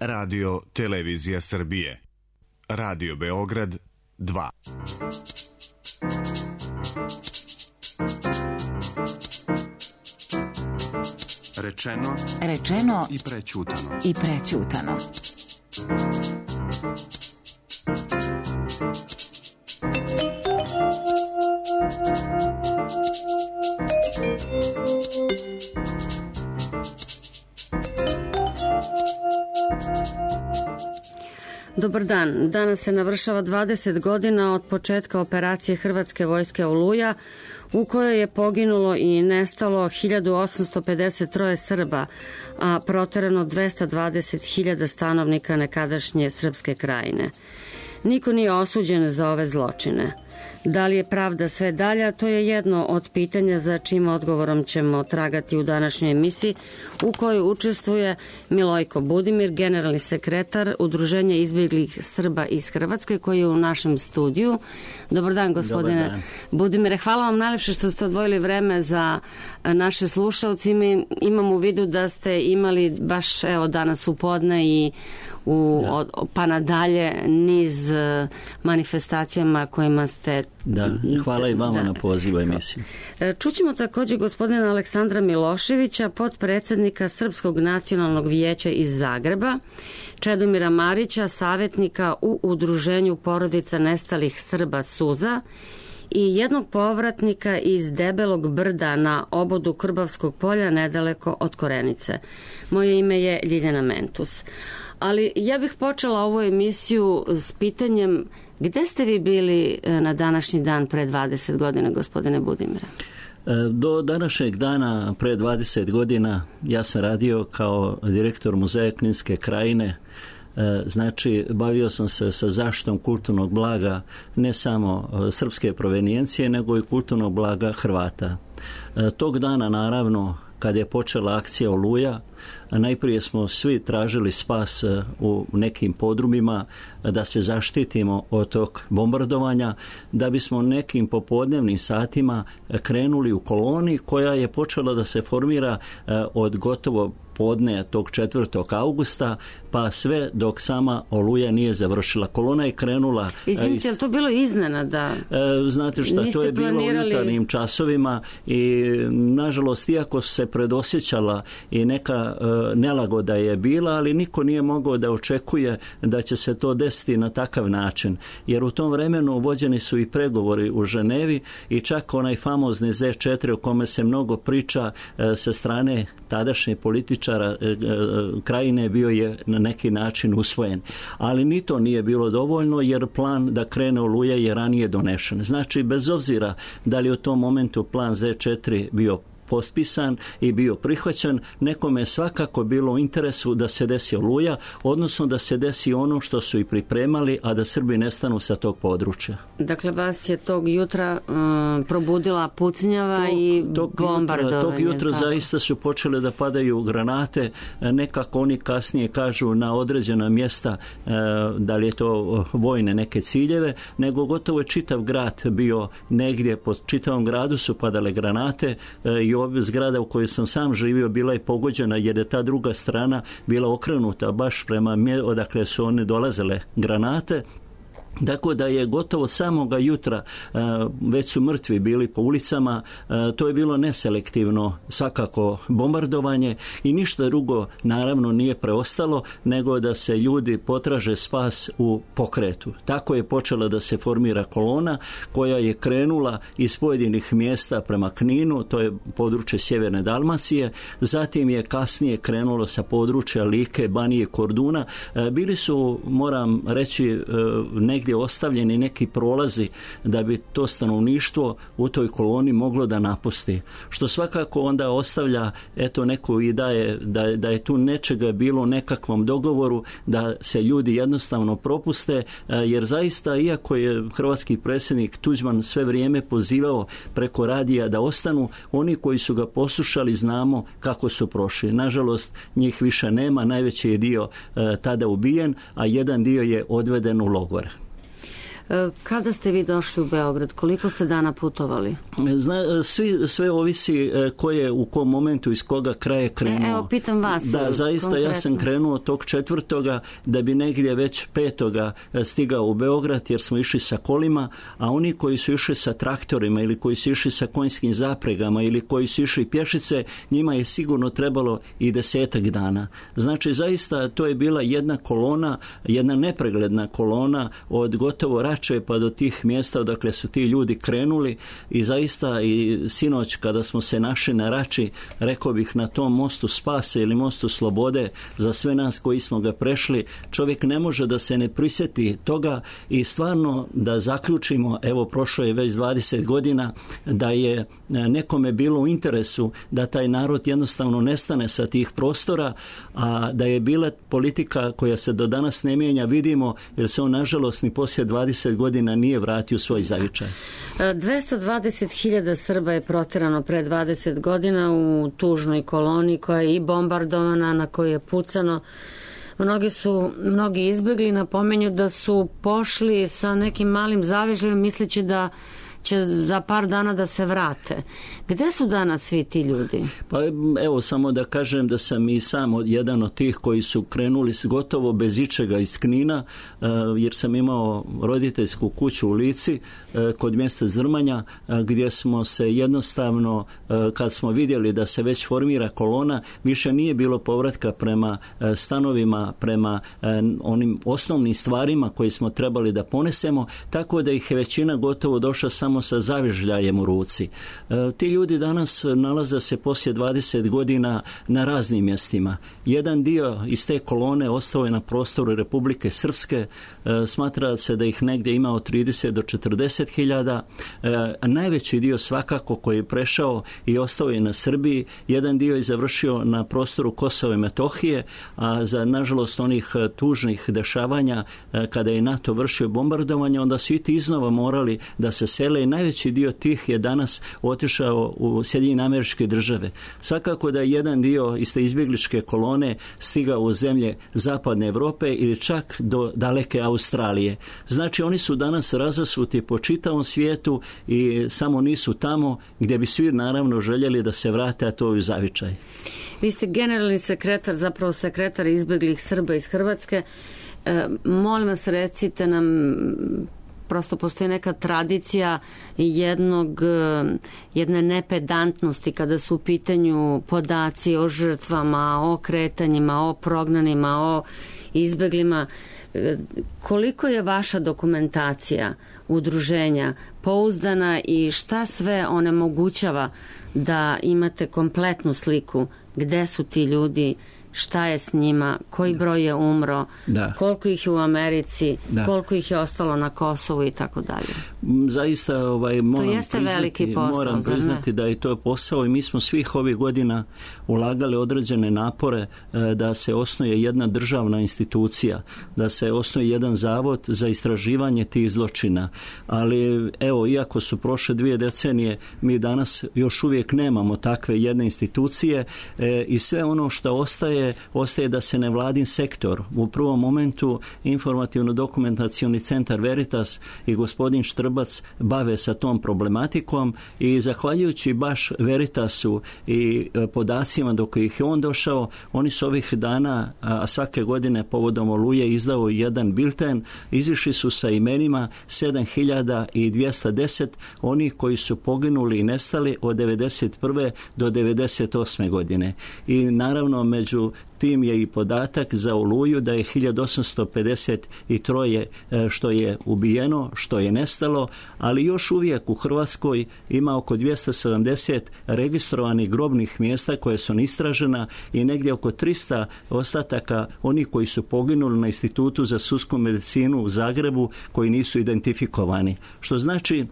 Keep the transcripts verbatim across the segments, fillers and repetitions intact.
Radio Televizija Srbije. Radio Beograd dva. Rečeno, Rečeno i prećutano. I prećutano. Dobar dan. Danas se navršava dvadeset godina od početka operacije Hrvatske vojske Oluja, u kojoj je poginulo i nestalo hiljadu osamsto pedeset tri Srba, a proterano dvesta dvadeset hiljada stanovnika nekadašnje Srpske krajine. Niko nije osuđen za ove zločine. Da li je pravda sve dalja, to je jedno od pitanja za čim odgovorom ćemo tragati u današnjoj emisiji, u kojoj učestvuje Milojko Budimir, generalni sekretar Udruženja izbjeglih Srba iz Hrvatske, koji je u našem studiju. Dobar dan, gospodine Dobar dan. Budimire. Hvala vam najlepše što ste odvojili vreme za naše slušalci. Mi imamo u vidu da ste imali baš evo danas u podne i u, od, pa nadalje niz manifestacijama kojima ste... Da, hvala i vama da. na pozivu emisiju. Čućemo također gospodina Aleksandra Miloševića, potpredsjednika Srpskog nacionalnog vijeća iz Zagreba, Čedomira Marića, savjetnika u Udruženju porodica nestalih Srba Suza i jednog povratnika iz Debelog brda na obodu Krbavskog polja nedaleko od Korenice. Moje ime je Ljiljana Mentus. Ali ja bih počela ovu emisiju s pitanjem gde ste vi bili na današnji dan pre dvadeset godina, gospodine Budimire? Do današnjeg dana pre dvadeset godina ja sam radio kao direktor Muzeja Kninske krajine. Znači, bavio sam se sa zaštitom kulturnog blaga ne samo srpske provenijencije, nego i kulturnog blaga Hrvata. Tog dana, naravno, kad je počela akcija Oluja, najprije smo svi tražili spas u nekim podrumima da se zaštitimo od tog bombardovanja, da bismo nekim popodnevnim satima krenuli u koloni koja je počela da se formira od gotovo podne tog četvrtog augusta pa sve dok sama Oluja nije završila. Kolona je krenula... Izvinite, je li to bilo iznenada? Znate šta, to je bilo u jutarnjim časovima i nažalost, iako se predosjećala i neka nelagoda je bila, ali niko nije mogao da očekuje da će se to desiti na takav način. Jer u tom vremenu vođeni su i pregovori u Ženevi i čak onaj famozni Z četiri o kome se mnogo priča sa strane tadašnje političara krajine bio je na neki način usvojen. Ali ni to nije bilo dovoljno jer plan da krene Oluja je ranije donešen. Znači, bez obzira da li u tom momentu plan Z četiri bio potpisan i bio prihvaćen, nekome je svakako bilo u interesu da se desi Oluja, odnosno da se desi ono što su i pripremali, a da Srbi nestanu sa tog područja. Dakle, vas je tog jutra um, probudila pucnjava tog, i tog bombardovanje. Tog jutra tako. Zaista su počele da padaju granate, nekako oni kasnije kažu na određena mjesta, da li je to vojne neke ciljeve, nego gotovo je čitav grad bio negdje, po čitavom gradu su padale granate i zgrada u kojoj sam sam živio bila je pogođena jer je ta druga strana bila okrenuta baš prema odakle su one dolazile granate. Tako da je gotovo samoga jutra već su mrtvi bili po ulicama, to je bilo neselektivno svakako bombardovanje i ništa drugo naravno nije preostalo nego da se ljudi potraže spas u pokretu. Tako je počela da se formira kolona koja je krenula iz pojedinih mjesta prema Kninu, to je područje sjeverne Dalmacije, zatim je kasnije krenulo sa područja Like, Banije, Korduna. Bili su, moram reći, negdje negdje ostavljeni neki prolazi da bi to stanovništvo u toj koloni moglo da napusti. Što svakako onda ostavlja eto neku i da je, da, da je tu nečega bilo u nekakvom dogovoru da se ljudi jednostavno propuste, jer zaista iako je hrvatski predsjednik Tuđman sve vrijeme pozivao preko radija da ostanu, oni koji su ga poslušali znamo kako su prošli. Nažalost, njih više nema, najveći je dio e, tada ubijen, a jedan dio je odveden u logore. Kada ste vi došli u Beograd? Koliko ste dana putovali? Zna, svi, sve ovisi ko je u kom momentu iz koga kraja krenuo. E, evo, pitam vas. Da, zaista konkretno. Ja sam krenuo tog četvrtoga da bi negdje već petoga stigao u Beograd jer smo išli sa kolima, a oni koji su išli sa traktorima ili koji su išli sa konjskim zapregama ili koji su išli pješice, njima je sigurno trebalo i desetak dana. Znači, zaista to je bila jedna kolona, jedna nepregledna kolona od gotovo Rače pa do tih mjesta odakle su ti ljudi krenuli i zaista i sinoć kada smo se našli na Rači, rekao bih na tom mostu spase ili mostu slobode za sve nas koji smo ga prešli, čovjek ne može da se ne prisjeti toga i stvarno da zaključimo, evo prošlo je već dvadeset godina, da je nekome bilo u interesu da taj narod jednostavno nestane sa tih prostora, a da je bila politika koja se do danas ne mijenja, vidimo, jer se on nažalost ni poslije dvadeset godina nije vratio u svoj zavičaj. dvesta dvadeset hiljada Srba je protjerano pre dvadeset godina u tužnoj koloniji koja je i bombardovana, na kojoj je pucano. Mnogi su, mnogi izbjegli, napomenju da su pošli sa nekim malim zavežajem misleći da će za par dana da se vrate. Gde su danas svi ti ljudi? Pa evo samo da kažem da sam i sam jedan od tih koji su krenuli gotovo bez ičega iz Knina, jer sam imao roditeljsku kuću u Lici kod mjesta Zrmanja, gdje smo se jednostavno, kad smo vidjeli da se već formira kolona, više nije bilo povratka prema stanovima, prema onim osnovnim stvarima koje smo trebali da ponesemo, tako da ih je većina gotovo došla samo sa zavežljajem u ruci. E, ti ljudi danas nalaze se poslije dvadeset godina na raznim mjestima. Jedan dio iz te kolone ostao je na prostoru Republike Srpske, e, smatra se da ih negdje ima od trideset do četrdeset hiljada. E, najveći dio svakako koji je prešao i ostao je na Srbiji, jedan dio je završio na prostoru Kosova i Metohije, a za nažalost onih tužnih dešavanja e, kada je NATO vršio bombardovanje, onda su i ti iznova morali da se sele i najveći dio tih je danas otišao u Sjedinjene Američke Države. Svakako da je jedan dio iz te izbjegličke kolone stigao u zemlje zapadne Europe ili čak do daleke Australije. Znači oni su danas razasuti po čitavom svijetu i samo nisu tamo gdje bi svi naravno željeli da se vrate, a to je u zavičaj. Vi ste generalni sekretar, zapravo sekretar izbjeglih Srba iz Hrvatske. E, molim vas, recite nam, prosto postoji neka tradicija jednog, jedne nepedantnosti kada su u pitanju podaci o žrtvama, o kretanjima, o prognanima, o izbjeglima. Koliko je vaša dokumentacija udruženja pouzdana i šta sve onemogućava da imate kompletnu sliku gde su ti ljudi, šta je s njima, koji broj je umro, da. Koliko ih je u Americi, da. Koliko ih je ostalo na Kosovu i tako dalje. Zaista ovaj, moram, to jeste priznati, veliki posao, moram priznati da je to posao i mi smo svih ovih godina ulagali određene napore da se osnuje jedna državna institucija, da se osnuje jedan zavod za istraživanje tih zločina. Ali evo, iako su prošle dvije decenije, mi danas još uvijek nemamo takve jedne institucije e, i sve ono što ostaje ostaje da se nevladin sektor, u prvom momentu informativno-dokumentacioni centar Veritas i gospodin Štrbac bave sa tom problematikom i zahvaljujući baš Veritasu i podacima do kojih je on došao, oni su ovih dana, a svake godine povodom Oluje izdao jedan bilten, izišli su sa imenima sedam hiljada dvjesto deset onih koji su poginuli i nestali od devedeset prve do devedeset osme godine. I naravno među tim je i podatak za Oluju da je hiljadu osamsto pedeset tri što je ubijeno, što je nestalo, ali još uvijek u Hrvatskoj ima oko dvjesto sedamdeset registrovanih grobnih mjesta koje su istražena i negdje oko tristo ostataka onih koji su poginuli na Institutu za sudsku medicinu u Zagrebu koji nisu identifikovani. Što znači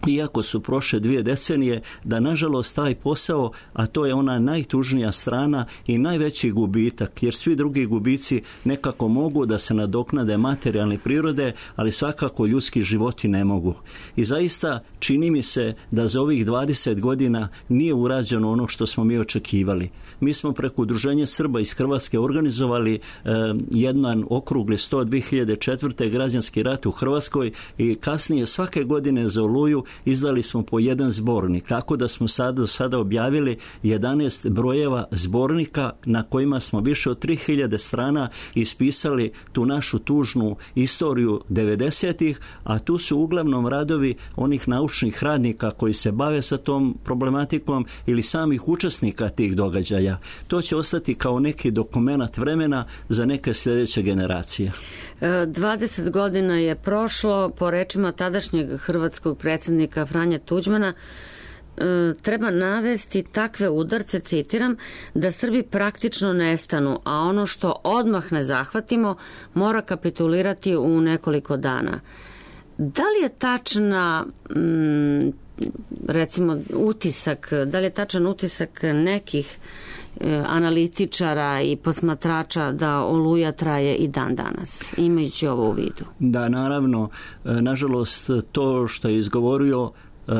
iako su prošle dvije decenije, da nažalost taj posao, a to je ona najtužnija strana i najveći gubitak, jer svi drugi gubici nekako mogu da se nadoknade materijalne prirode, ali svakako ljudski životi ne mogu. I zaista čini mi se da za ovih dvadeset godina nije urađeno ono što smo mi očekivali. Mi smo preko Udruženja Srba iz Hrvatske organizovali eh, jedan okrugli sto dvije hiljade četvrte građanski rat u Hrvatskoj i kasnije svake godine za Oluju izdali smo po jedan zbornik, tako da smo sad, do sada objavili jedanaest brojeva zbornika na kojima smo više od tri hiljade strana ispisali tu našu tužnu istoriju devedesetih, a tu su uglavnom radovi onih naučnih radnika koji se bave sa tom problematikom ili samih učesnika tih događaja. To će ostati kao neki dokumenat vremena za neke sljedeće generacije. dvadeset godina je prošlo, po rečima tadašnjeg hrvatskog predsjednika Franje Tuđmana, treba navesti takve udarce, citiram, da Srbi praktično nestanu, a ono što odmah ne zahvatimo mora kapitulirati u nekoliko dana. Da li je tačna recimo utisak, da li je tačan utisak nekih analitičara i posmatrača da Oluja traje i dan danas, imajući ovo u vidu? Da, naravno, nažalost to što je izgovorio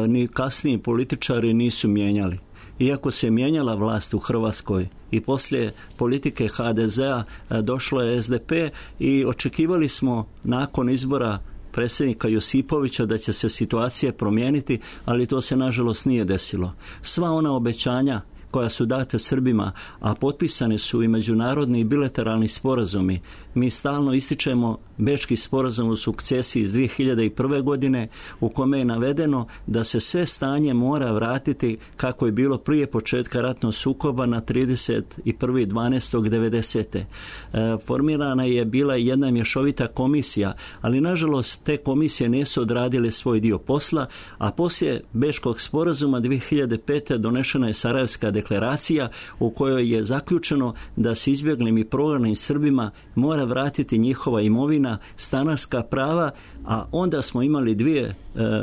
ni kasniji političari nisu mijenjali. Iako se mijenjala vlast u Hrvatskoj i poslije politike ha de zea došlo je es de pe i očekivali smo nakon izbora predsjednika Josipovića da će se situacija promijeniti, ali to se nažalost nije desilo. Sva ona obećanja koja su date Srbima, a potpisani su i međunarodni i bilateralni sporazumi. Mi stalno ističemo Bečki sporazum o sukcesiji iz dvije hiljade prve. godine u kome je navedeno da se sve stanje mora vratiti kako je bilo prije početka ratnog sukoba na trideset prvi dvanaesti devedesete. E, formirana je bila jedna mješovita komisija, ali nažalost te komisije nisu odradile svoj dio posla, a poslije Bečkog sporazuma dvije hiljade pete. donešena je Sarajevska deklaracija u kojoj je zaključeno da se izbjeglim i prognanim Srbima mora vratiti njihova imovina, stanarska prava, a onda smo imali dvije e,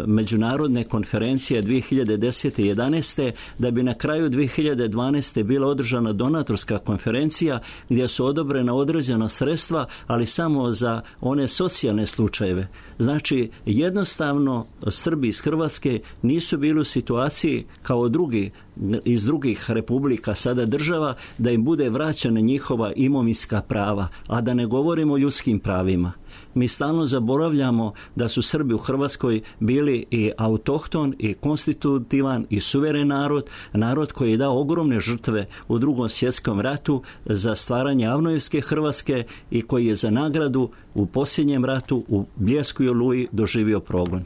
međunarodne konferencije dvije hiljade desete i jedanaeste. da bi na kraju dvije hiljade dvanaeste. bila održana donatorska konferencija gdje su odobrena određena sredstva, ali samo za one socijalne slučajeve. Znači, jednostavno Srbi iz Hrvatske nisu bili u situaciji kao drugi iz drugih republika, sada država, da im bude vraćana njihova imovinska prava, a da ne govorimo o ljudskim pravima. Mi stalno zaboravljamo da su Srbi u Hrvatskoj bili i autohton i konstitutivan i suveren narod, narod koji je dao ogromne žrtve u Drugom svjetskom ratu za stvaranje avnojevske Hrvatske i koji je za nagradu u posljednjem ratu u Bljesku i Oluji doživio progon.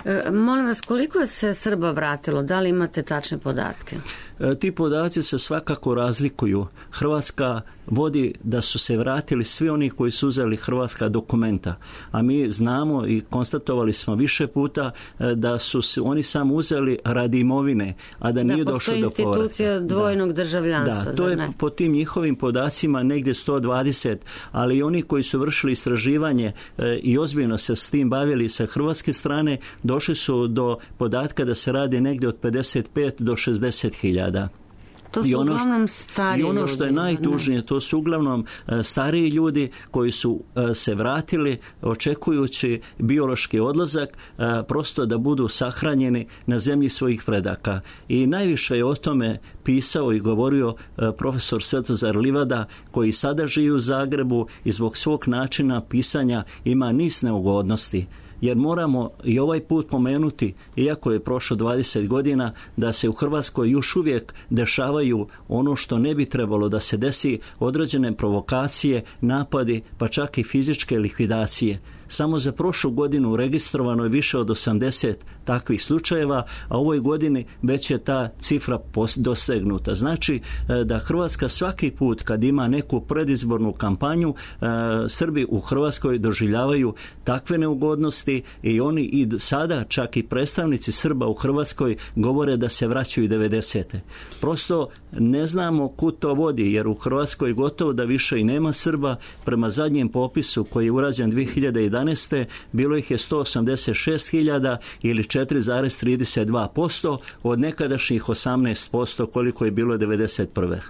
E, molim vas, koliko je se Srba vratilo? Da li imate tačne podatke? E, ti podaci se svakako razlikuju. Hrvatska vodi da su se vratili svi oni koji su uzeli hrvatska dokumenta, a mi znamo i konstatovali smo više puta da su se oni samo uzeli radi imovine, a da, da nije došlo do povrata. Da, postoji institucija dvojnog da. državljanstva. Da, to je ne? po tim njihovim podacima negdje sto dvadeset, ali i oni koji su vršili istraživanje e, i ozbiljno se s tim bavili sa hrvatske strane, došli su do podatka da se radi negdje od pedeset pet do šezdeset hiljada. To su I ono, uglavnom stariji I ono što je najtužnije, to su uglavnom uh, stariji ljudi koji su uh, se vratili očekujući biološki odlazak, uh, prosto da budu sahranjeni na zemlji svojih predaka. I najviše je o tome pisao i govorio uh, profesor Svetozar Livada, koji sada živi u Zagrebu i zbog svog načina pisanja ima niz neugodnosti. Jer moramo i ovaj put pomenuti, iako je prošlo dvadeset godina, da se u Hrvatskoj još uvijek dešavaju ono što ne bi trebalo da se desi, određene provokacije, napadi, pa čak i fizičke likvidacije. Samo za prošlu godinu registrovano je više od osamdeset takvih slučajeva, a u ovoj godini već je ta cifra dosegnuta. Znači da Hrvatska svaki put kad ima neku predizbornu kampanju, Srbi u Hrvatskoj doživljavaju takve neugodnosti i oni i sada čak i predstavnici Srba u Hrvatskoj govore da se vraćaju devedesete. Prosto ne znamo kud to vodi, jer u Hrvatskoj gotovo da više i nema Srba. Prema zadnjem popisu koji je urađen dvije hiljade jedanaeste. jedanaeste. bilo ih je sto osamdeset šest hiljada ili četiri zarez trideset dva posto od nekadašnjih osamnaest posto koliko je bilo devedeset prve.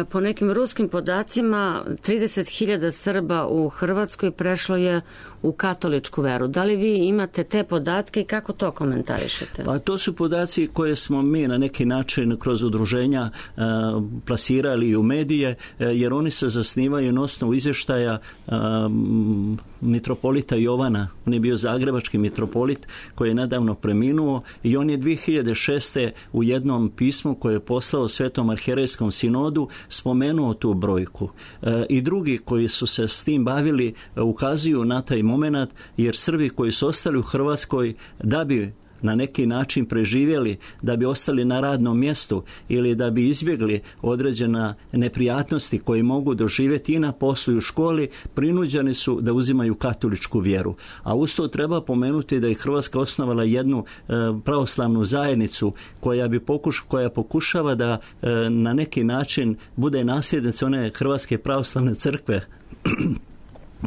Po nekim ruskim podacima trideset hiljada Srba u Hrvatskoj prešlo je u katoličku veru. Da li vi imate te podatke i kako to komentarišete? Pa to su podaci koje smo mi na neki način kroz udruženja e, plasirali u medije, e, jer oni se zasnivaju na osnovu izvještaja e, mitropolita Jovana. On je bio zagrebački mitropolit koji je nedavno preminuo i on je dvije hiljade šeste. u jednom pismu koje je poslao Svetom arhijerejskom sinodu spomenuo tu brojku. E, I drugi koji su se s tim bavili e, ukazuju na taj moment, jer Srbi koji su ostali u Hrvatskoj da bi na neki način preživjeli, da bi ostali na radnom mjestu ili da bi izbjegli određena neprijatnosti koje mogu doživjeti i na poslu i u školi, prinuđeni su da uzimaju katoličku vjeru. A uz to treba pomenuti da je Hrvatska osnovala jednu e, pravoslavnu zajednicu koja bi pokuš, koja pokušava da e, na neki način bude nasljednica one Hrvatske pravoslavne crkve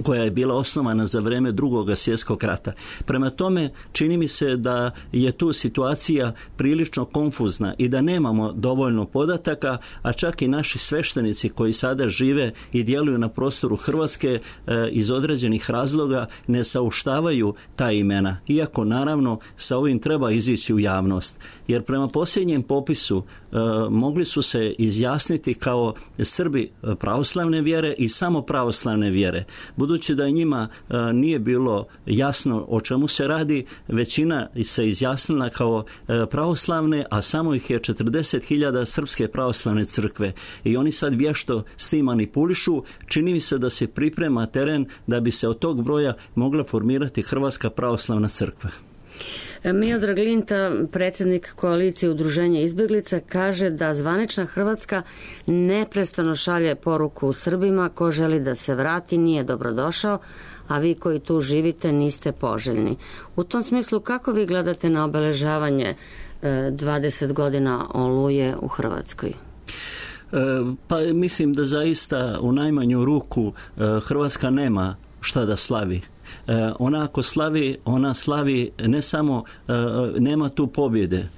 koja je bila osnovana za vrijeme Drugog svjetskog rata. Prema tome, čini mi se da je tu situacija prilično konfuzna i da nemamo dovoljno podataka, a čak i naši sveštenici koji sada žive i djeluju na prostoru Hrvatske e, iz određenih razloga ne sauštavaju ta imena. Iako, naravno, sa ovim treba izići u javnost. Jer prema posljednjem popisu e, mogli su se izjasniti kao Srbi pravoslavne vjere i samo pravoslavne vjere. Budući da njima e, nije bilo jasno o čemu se radi, većina se izjasnila kao e, pravoslavne, a samo ih je četrdeset hiljada Srpske pravoslavne crkve. I oni sad vješto s tim manipulišu. Čini mi se da se priprema teren da bi se od tog broja mogla formirati Hrvatska pravoslavna crkva. Miodrag Linta, predsjednik koalicije Udruženja izbjeglica, kaže da zvanična Hrvatska neprestano šalje poruku Srbima: ko želi da se vrati nije dobrodošao, a vi koji tu živite niste poželjni. U tom smislu, kako vi gledate na obeležavanje dvadeset godina Oluje u Hrvatskoj? Pa mislim da zaista u najmanju ruku Hrvatska nema šta da slavi. Ona ako slavi, ona slavi ne samo, nema tu pobjede.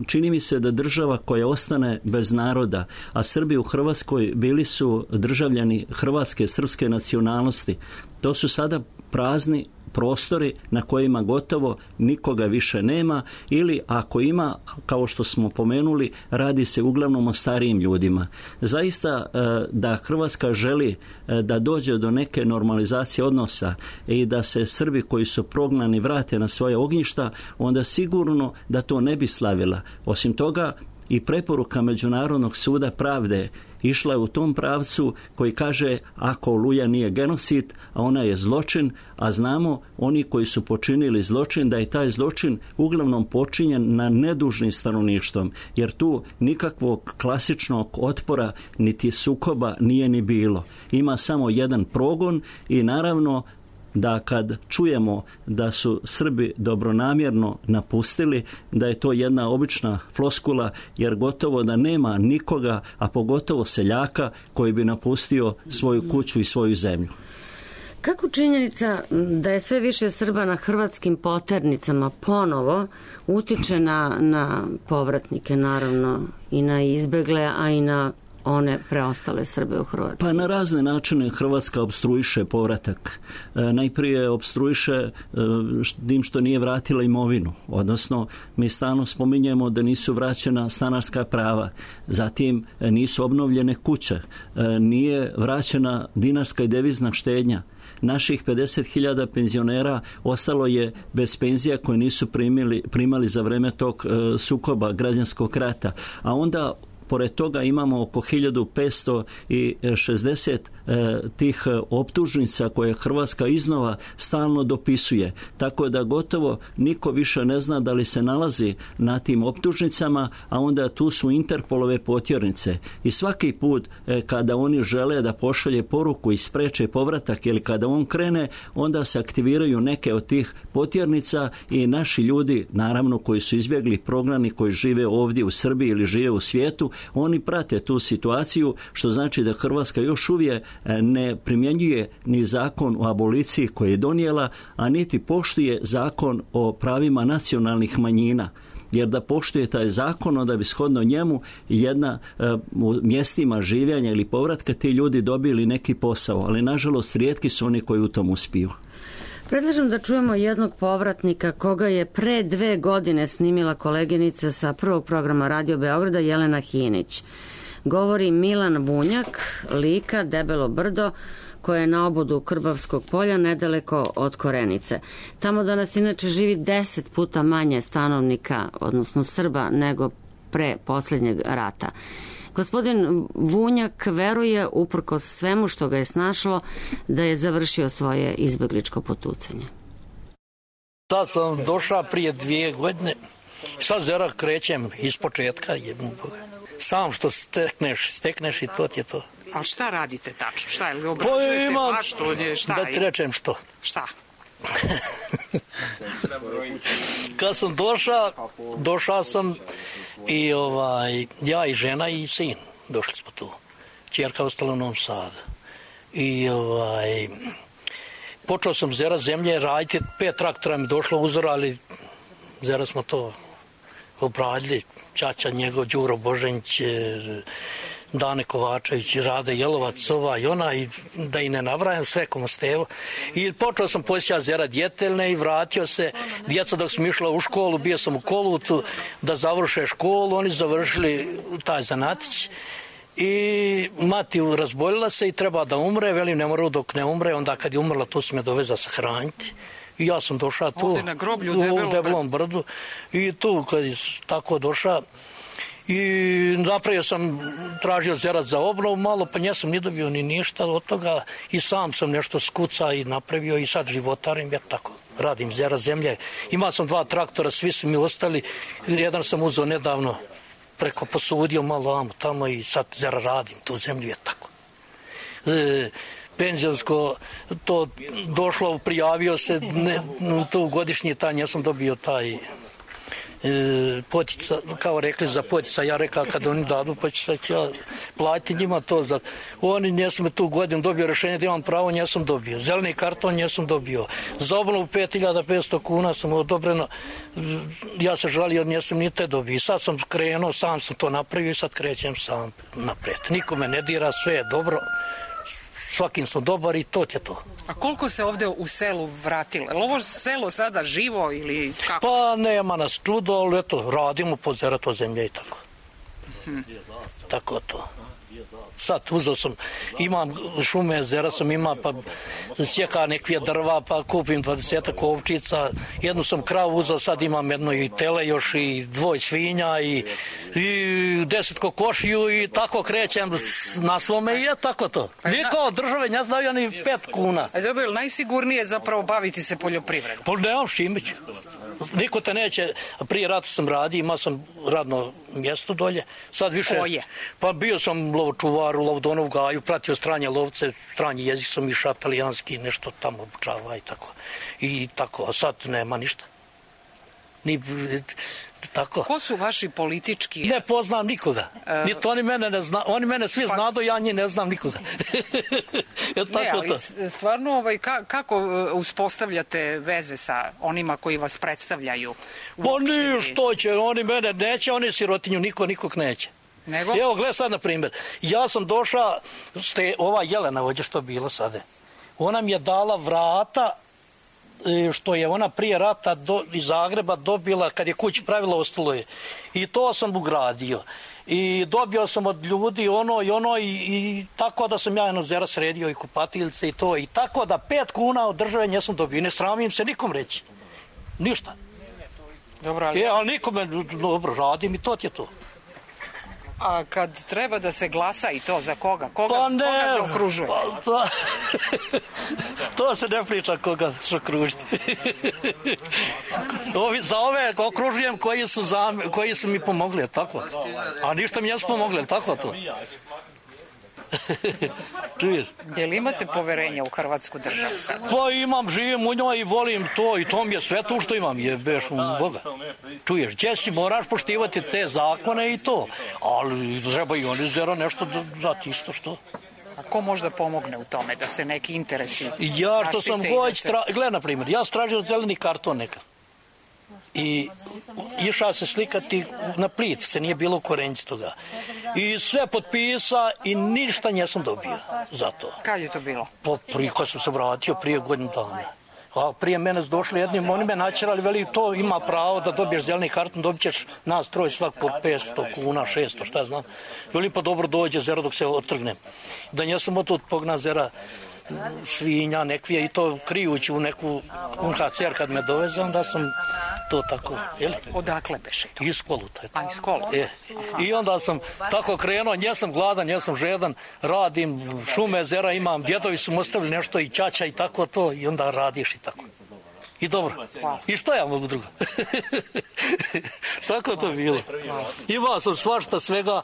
Čini mi se da država koja ostane bez naroda, a Srbi u Hrvatskoj bili su državljani hrvatske, srpske nacionalnosti, to su sada prazni prostori na kojima gotovo nikoga više nema, ili ako ima, kao što smo pomenuli, radi se uglavnom o starijim ljudima. Zaista da Hrvatska želi da dođe do neke normalizacije odnosa i da se Srbi koji su prognani vrate na svoje ognjišta, onda sigurno da to ne bi slavila. Osim toga, i preporuka Međunarodnog suda pravde išla je u tom pravcu koji kaže ako Oluja nije genocid, a ona je zločin, a znamo oni koji su počinili zločin da je taj zločin uglavnom počinjen na nedužnim stanovništvom, jer tu nikakvog klasičnog otpora niti sukoba nije ni bilo. Ima samo jedan progon i naravno da kad čujemo da su Srbi dobronamjerno napustili, da je to jedna obična floskula, jer gotovo da nema nikoga, a pogotovo seljaka, koji bi napustio svoju kuću i svoju zemlju. Kako činjenica da je sve više Srba na hrvatskim poternicama ponovo utiče na, na povratnike, naravno, i na izbegle, a i na one preostale Srbe u Hrvatskoj? Pa na razne načine Hrvatska opstruiše povratak. E, najprije opstruiše e, tim što nije vratila imovinu. Odnosno, mi stalno spominjemo da nisu vraćena stanarska prava. Zatim e, nisu obnovljene kuće. E, nije vraćena dinarska i devizna štednja. Naših pedeset hiljada penzionera ostalo je bez penzija koje nisu primili, primali za vreme tog e, sukoba građanskog rata. A onda pored toga imamo oko hiljadu petsto šezdeset e, tih optužnica koje Hrvatska iznova stalno dopisuje. Tako da gotovo niko više ne zna da li se nalazi na tim optužnicama, a onda tu su Interpolove potjernice. I svaki put e, kada oni žele da pošalje poruku i spreče povratak ili kada on krene, onda se aktiviraju neke od tih potjernica i naši ljudi, naravno koji su izbjegli, prognani, koji žive ovdje u Srbiji ili žive u svijetu, Oni prate tu situaciju, što znači da Hrvatska još uvijek ne primjenjuje ni zakon o aboliciji koji je donijela, a niti poštuje zakon o pravima nacionalnih manjina. Jer da poštuje taj zakon, onda bi shodno njemu jedna u mjestima življenja ili povratka ti ljudi dobili neki posao, ali nažalost rijetki su oni koji u tom uspiju. Predlažem da čujemo jednog povratnika koga je pre dve godine snimila koleginica sa prvog programa Radio Beograda Jelena Hinić. Govori Milan Vunjak, Lika, Debelo brdo, koje je na obodu Krbavskog polja nedaleko od Korenice. Tamo danas inače živi deset puta manje stanovnika, odnosno Srba, nego pre posljednjeg rata. Gospodin Vunjak veruje, uprkos svemu što ga je snašlo, da je završio svoje izbegličko potucanje. Sad sam došao prije dvije godine, sad zera krećem iz početka, jebim Boga. Sam što stekneš, stekneš i to ti je to. A šta radite tačno? Šta je li obrađujete? Pa imam, što, šta da ti rečem što. Šta? Kad sam došao, došao sam i ovaj, ja i žena i sin, došli smo tu. Čerka ostala u Novom Sadu. I ovaj, počeo sam zera zemlje raditi, pet traktora mi došlo uzora, ali zera smo to obradili. Čača njegov, Đuro Božanić, Dane Kovačević, Rade Jelovac, ova i ona, i da i ne nabrajam sve komostevo. I počeo sam poslije zera djetelne i vratio se. Djeca dok sam išla u školu, bio sam u Kolutu da završe školu, oni završili taj zanatić. I mati razboljila se i treba da umre, velim ne mora dok ne umre, onda kad je umrla tu sam je doveza sahraniti. I ja sam došao tu, ovdje na groblju u Debelom, Debelom brdu, i tu kad je tako došao i napravio sam, tražio zerat za obnovu malo, pa njesam ni dobio ni ništa od toga i sam sam nešto skuca i napravio i sad životarim, ja tako radim zera zemlje. Imao sam dva traktora, svi su mi ostali, jedan sam uzeo nedavno, preko posudio malo amo tamo i sad zera radim tu zemlju, je tako. E, penzionsko to došlo, prijavio se ne, tu godišnji taj, ja sam dobio taj e, potica, kao rekli za potica, ja rekao kad oni dadu pa ću ja platiti njima to za, oni njesam tu godinu dobio rješenje da imam pravo, njesam dobio zeleni karton, njesam dobio za obnovu pet hiljada petsto kuna sam odobreno, ja se žalio, njesam ni te dobio i sad sam krenuo, sam sam to napravio i sad krećem sam naprijed, nikome ne dira, sve je dobro, svakim sam dobar i to je to. A koliko se ovdje u selu vratilo? Je li ovo selo sada živo ili kako? Pa nema nas čudo, ali eto, radimo po zerato zemlje i tako. Hmm. Tako to. Sad uzeo sam, imam šume, zera sam ima, pa sjeka nekvije drva, pa kupim dvadesetak ovčica, jednu sam kravu uzeo, sad imam jedno i tele još i dvoj svinja i, i deset kokošiju i tako krećem na svome i je tako to. Niko od države ne znaju ni pet kuna. A dobro, najsigurnije zapravo baviti se poljoprivredom? Pa nemam Šimić. Niko te neće, prije rata sam radio, imao sam radno mjesto dolje, sad više... Koje? Pa bio sam lovočuvar u Lovdonov gaju, pratio stranje lovce, stranji jezik sam išao, talijanski, nešto tamo obučava i tako. I tako, a sad nema ništa. Ni... Tako. Ko su vaši politički? Ne poznam nikoga. Uh, Niti oni mene ne zna, oni mene svi pa, znadu, ja njih ne znam nikoga. Je tako ne, ali to. Stvarno, ovaj, ka, kako uspostavljate veze sa onima koji vas predstavljaju? Pa nije što će, oni mene neće, oni sirotinju, niko nikog neće. Nego? Evo, gledaj sad na primjer, ja sam došao, ste, ova Jelena ovdje što bilo sada, ona mi je dala vrata što je ona prije rata do, iz Zagreba dobila, kad je kući pravila, ostalo je. I to sam ugradio. I dobio sam od ljudi ono i ono i, i tako da sam ja jedno zera sredio i kupatiljce i to. I tako da pet kuna od države nisam dobio. I ne sramim se nikom reći. Ništa. Dobro, ali... E, ali nikome, dobro, radim i to je to. A kad treba da se glasa i to, za koga? Koga, pa ne, koga zaokružujete? Pa, to, to se ne priča koga zaokružiti. Ovi, za ove okružujem koji su, za, koji su mi pomogli, tako? A ništa mi jesu pomogli, tako to? Čuješ? Je li imate poverenja u Hrvatsku državu sad? Pa imam, živim u njoj i volim to i to mi je sve to što imam, je beš u Boga. Čuješ, gdje si moraš poštivati te zakone i to, ali treba i oni zera nešto dati isto što. A ko možda pomogne u tome da se neki interesi Ja što sam goć, se... tra... gledaj na primjer, ja stražio zeleni karton neka. I išao se slikati na Plitvice, nije bilo u Korenci toga. I sve potpisa i ništa nisam dobio za to. Kad je to bilo? Po, prije kad sam se vratio, prije godinu dana. A prije mene su došli jednim, oni me načerali, veli to ima pravo da dobiješ zeleni karton, dobit ćeš nas troj svak po petsto kuna, šesto, šta znam. Veli pa dobro dođe zera dok se otrgnem. Da nisam od tog pogna zera svinja, nekvije i to krijući u neku U N H C R kad me doveze, onda sam to tako, jel? Odakle beše to? Iz Koluta. A iz Koluta? E. I onda sam tako krenuo, njesam gladan, njesam žedan, radim šume, zera imam, djedovi su mi ostavili nešto i ćaća i tako to i onda radiš i tako. I dobro. Hvala. I šta ja mogu drugo? Tako to bilo. Imao sam svašta svega,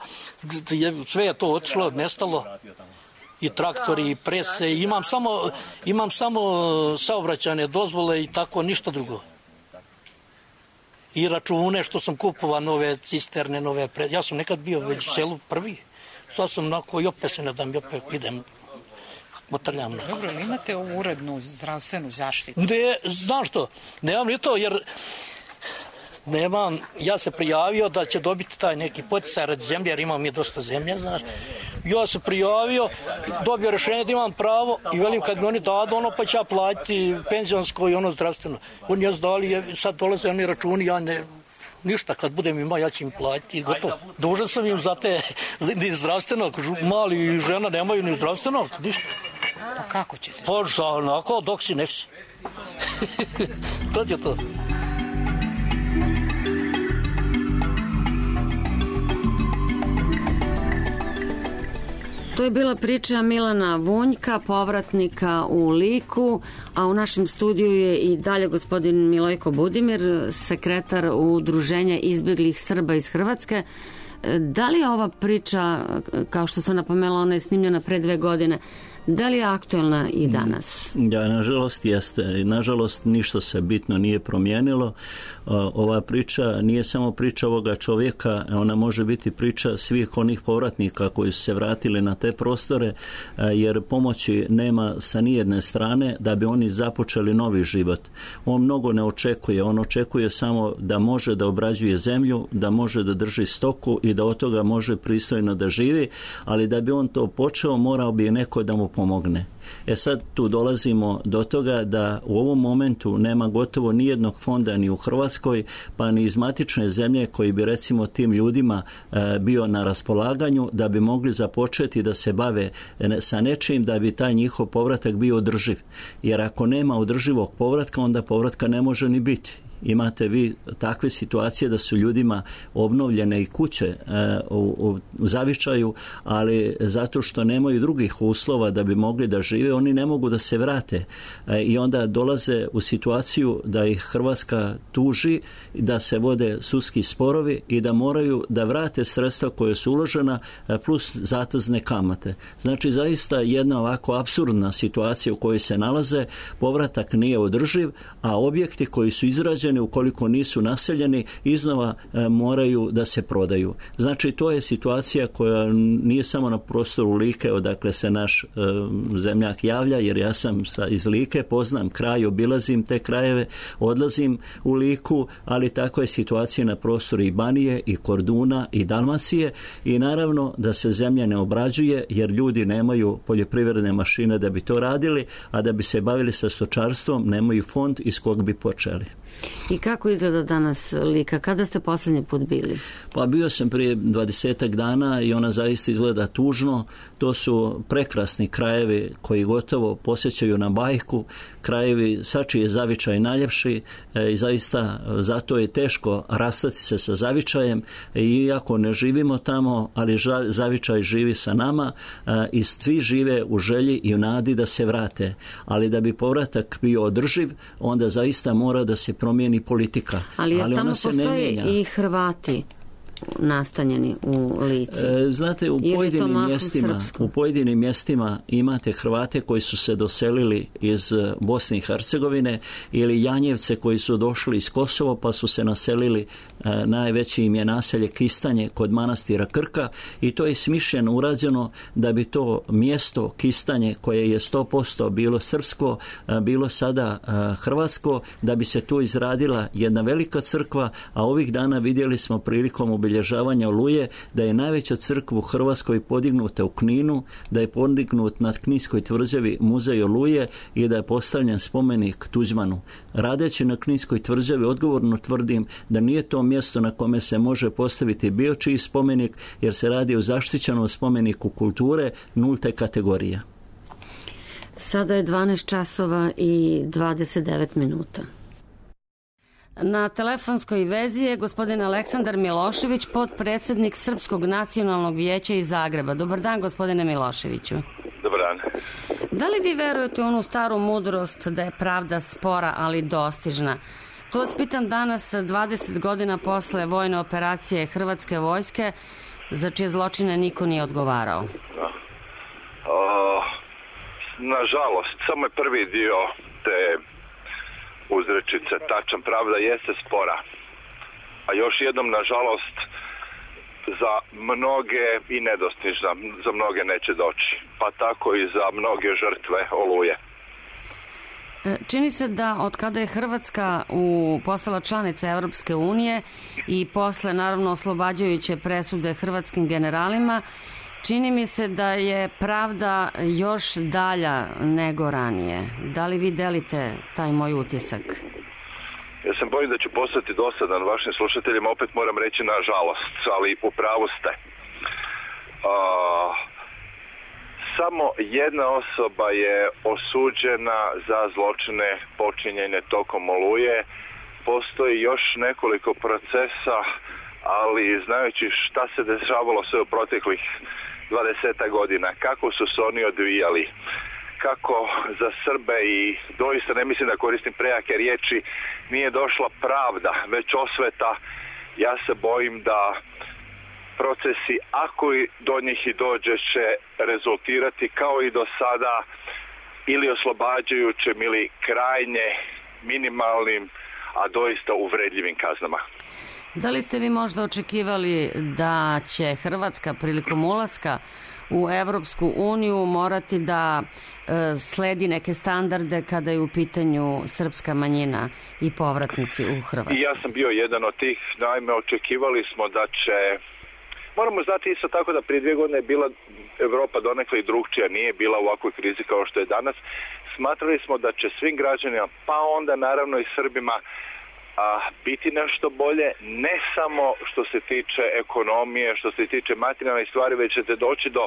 sve je to otišlo, nestalo. I traktori, i prese, imam samo, imam samo saobraćajne dozvole i tako, ništa drugo. I račune što sam kupovao, nove cisterne, nove pre... Ja sam nekad bio već u selu prvi. Sad sam onako i opet se ne dam, i opet idem. Motrljam. Dobro, ali imate urednu zdravstvenu zaštitu? Ne, znam što, nemam ni to, jer nemam, ja se prijavio da će dobiti taj neki poticaj radi zemlje, jer imam mi dosta zemlje, znaš. Ja se prijavio, dobio rješenje da imam pravo i velim kad mi oni dadu ono pa će ja platiti penzionsko i ono zdravstveno. Oni je zdali, sad dolaze oni računi, ja ne, ništa, kad budem imao ja ću im platiti i gotovo. Dužan sam im za te, ni zdravstveno, mali i žena nemaju ni zdravstveno, ništa. Pa kako ćete? Pa šta, onako, dok si nesi. To je to. To je bila priča Milana Vunjka, povratnika u Liku, a u našem studiju je i dalje gospodin Milojko Budimir, sekretar Udruženja izbjeglih Srba iz Hrvatske. Da li je ova priča, kao što sam napomenula, ona je snimljena pre dve godine, da li je aktuelna i danas? Ja, nažalost jeste. Nažalost ništa se bitno nije promijenilo. Ova priča nije samo priča ovoga čovjeka, ona može biti priča svih onih povratnika koji su se vratili na te prostore, jer pomoći nema sa nijedne strane da bi oni započeli novi život. On mnogo ne očekuje, on očekuje samo da može da obrađuje zemlju, da može da drži stoku i da od toga može pristojno da živi, ali da bi on to počeo morao bi neko da mu pomogne. E sad tu dolazimo do toga da u ovom momentu nema gotovo nijednog fonda ni u Hrvatskoj, pa ni iz matične zemlje koji bi recimo tim ljudima e, bio na raspolaganju da bi mogli započeti da se bave sa nečim da bi taj njihov povratak bio održiv. Jer ako nema održivog povratka, onda povratka ne može ni biti. Imate vi takve situacije da su ljudima obnovljene i kuće e, u, u zavičaju, ali zato što nemaju drugih uslova da bi mogli da žive, oni ne mogu da se vrate e, i onda dolaze u situaciju da ih Hrvatska tuži, da se vode sudski sporovi i da moraju da vrate sredstva koje su uložena e, plus zatezne kamate. Znači zaista jedna ovako apsurdna situacija u kojoj se nalaze, povratak nije održiv, a objekti koji su izrađeni ukoliko nisu naseljeni, iznova e, moraju da se prodaju. Znači, to je situacija koja nije samo na prostoru Like, odakle se naš e, zemljak javlja, jer ja sam sa, iz Like, poznam kraj, obilazim te krajeve, odlazim u Liku, ali tako je situacija na prostoru i Banije, i Korduna, i Dalmacije i naravno da se zemlja ne obrađuje, jer ljudi nemaju poljoprivredne mašine da bi to radili, a da bi se bavili sa stočarstvom, nemaju fond iz kog bi počeli. I kako izgleda danas Lika? Kada ste posljednji put bili? Pa bio sam prije dvadesetak dana i ona zaista izgleda tužno. To su prekrasni krajevi koji gotovo posjećaju na bajku. Krajevi sačiji je zavičaj najljepši e, i zaista zato je teško rastati se sa zavičajem. E, iako ne živimo tamo, ali ža, zavičaj živi sa nama e, i svi žive u želji i u nadi da se vrate. Ali da bi povratak bio održiv, onda zaista mora da se promijeni politika. Ali, ali tamo ona se postoje ne mijenja. I Hrvati. nastanjeni u Lici? E, znate, u pojedinim mjestima, u pojedinim mjestima imate Hrvate koji su se doselili iz Bosne i Hercegovine ili Janjevce koji su došli iz Kosova pa su se naselili, e, najveći im je naselje Kistanje kod manastira Krka i to je smišljeno urađeno da bi to mjesto Kistanje koje je sto posto bilo srpsko, e, bilo sada e, hrvatsko, da bi se tu izradila jedna velika crkva, a ovih dana vidjeli smo prilikom obilježavanja Oluje da je najveća crkva u Hrvatskoj podignuta u Kninu, da je podignut na Kninskoj tvrđavi muzej Oluje i da je postavljen spomenik Tuđmanu. Radeći na Kninskoj tvrđavi odgovorno tvrdim da nije to mjesto na kome se može postaviti bilo čiji spomenik, jer se radi o zaštićenom spomeniku kulture nulte kategorije. Sada je dvanaest časova i dvadeset devet minuta. Na telefonskoj vezi je gospodin Aleksandar Milošević, potpredsjednik Srpskog nacionalnog vijeća iz Zagreba. Dobar dan, gospodine Miloševiću. Dobar dan. Da li vi verujete u onu staru mudrost da je pravda spora, ali dostižna? To vas pitam danas, dvadeset godina posle vojne operacije Hrvatske vojske, za čije zločine niko nije odgovarao. O, nažalost, samo je prvi dio te uzrečice tačan, pravda jeste spora. A još jednom, nažalost, za mnoge i nedostižna, za mnoge neće doći. Pa tako i za mnoge žrtve Oluje. Čini se da od kada je Hrvatska u, postala članica Europske unije i posle naravno oslobađajuće presude hrvatskim generalima, čini mi se da je pravda još dalja nego ranije. Da li vi delite taj moj utisak? Ja sam bojim da ću postati dosadan vašim slušateljima, opet moram reći nažalost, ali u pravu ste. Uh, samo jedna osoba je osuđena za zločine počinjene tokom Oluje. Postoji još nekoliko procesa, ali znajući šta se dešavalo sve u proteklih dvadeset godina, kako su se oni odvijali, kako za Srbe, i doista ne mislim da koristim prejake riječi, nije došla pravda, već osveta, ja se bojim da procesi, ako i do njih i dođe, će rezultirati kao i do sada ili oslobađajućim ili krajnje minimalnim, a doista uvredljivim kaznama. Da li ste vi možda očekivali da će Hrvatska prilikom ulaska u Evropsku uniju morati da e, sledi neke standarde kada je u pitanju srpska manjina i povratnici u Hrvatsku? I ja sam bio jedan od tih. Naime, očekivali smo da će... Moramo znati isto tako da prije dvije godine je bila Evropa donekle i drugčija, nije bila u ovakvoj krizi kao što je danas. Smatrali smo da će svim građanima, pa onda naravno i Srbima, a biti nešto bolje, ne samo što se tiče ekonomije, što se tiče materijalnih stvari, već ćete doći do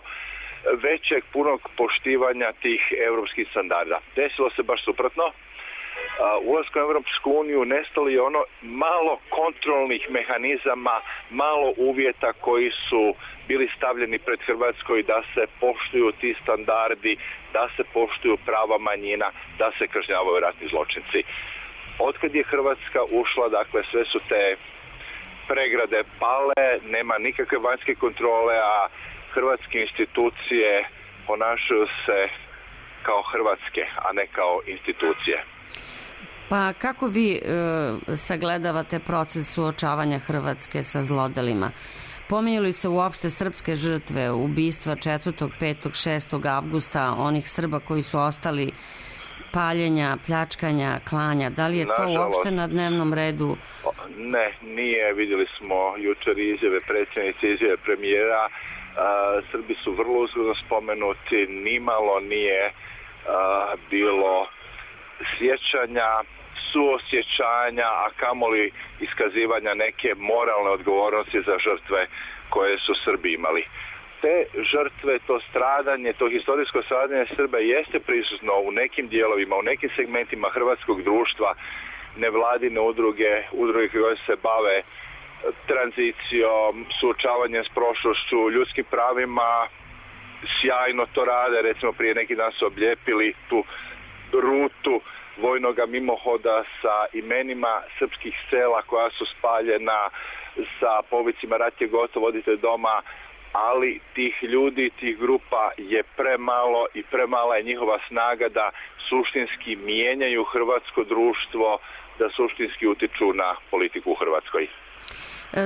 većeg punog poštivanja tih europskih standarda. Desilo se baš suprotno. Ulaskom u Europsku uniju nestalo je ono malo kontrolnih mehanizama, malo uvjeta koji su bili stavljeni pred Hrvatskoj da se poštuju ti standardi, da se poštuju prava manjina, da se kažnjavaju ratni zločinci. Otkad je Hrvatska ušla, dakle, sve su te pregrade pale, nema nikakve vanjske kontrole, a hrvatske institucije ponašaju se kao hrvatske, a ne kao institucije. Pa kako vi e, sagledavate proces suočavanja Hrvatske sa zlodelima? Pominju li se uopšte srpske žrtve, ubistva četvrtog, petog, šestog avgusta, onih Srba koji su ostali, paljenja, pljačkanja, klanja? Da li je to Nažalost, uopšte na dnevnom redu? Ne, nije. Vidjeli smo jučer izjave predsjednice, izjave premijera. A, Srbi su vrlo uzgodno spomenuti, nimalo nije a, bilo sjećanja, suosjećanja, a kamoli iskazivanja neke moralne odgovornosti za žrtve koje su Srbi imali. Te žrtve, to stradanje, to historijsko stradanje Srba jeste prisutno u nekim dijelovima, u nekim segmentima hrvatskog društva, nevladine udruge, udruge koje se bave tranzicijom, suočavanjem s prošlošću, ljudskim pravima, sjajno to rade. Recimo prije neki dan su oblijepili tu rutu vojnoga mimohoda sa imenima srpskih sela koja su spaljena, sa povicima rat je gotov, odite doma, ali tih ljudi, tih grupa je premalo i premala je njihova snaga da suštinski mijenjaju hrvatsko društvo, da suštinski utiču na politiku u Hrvatskoj.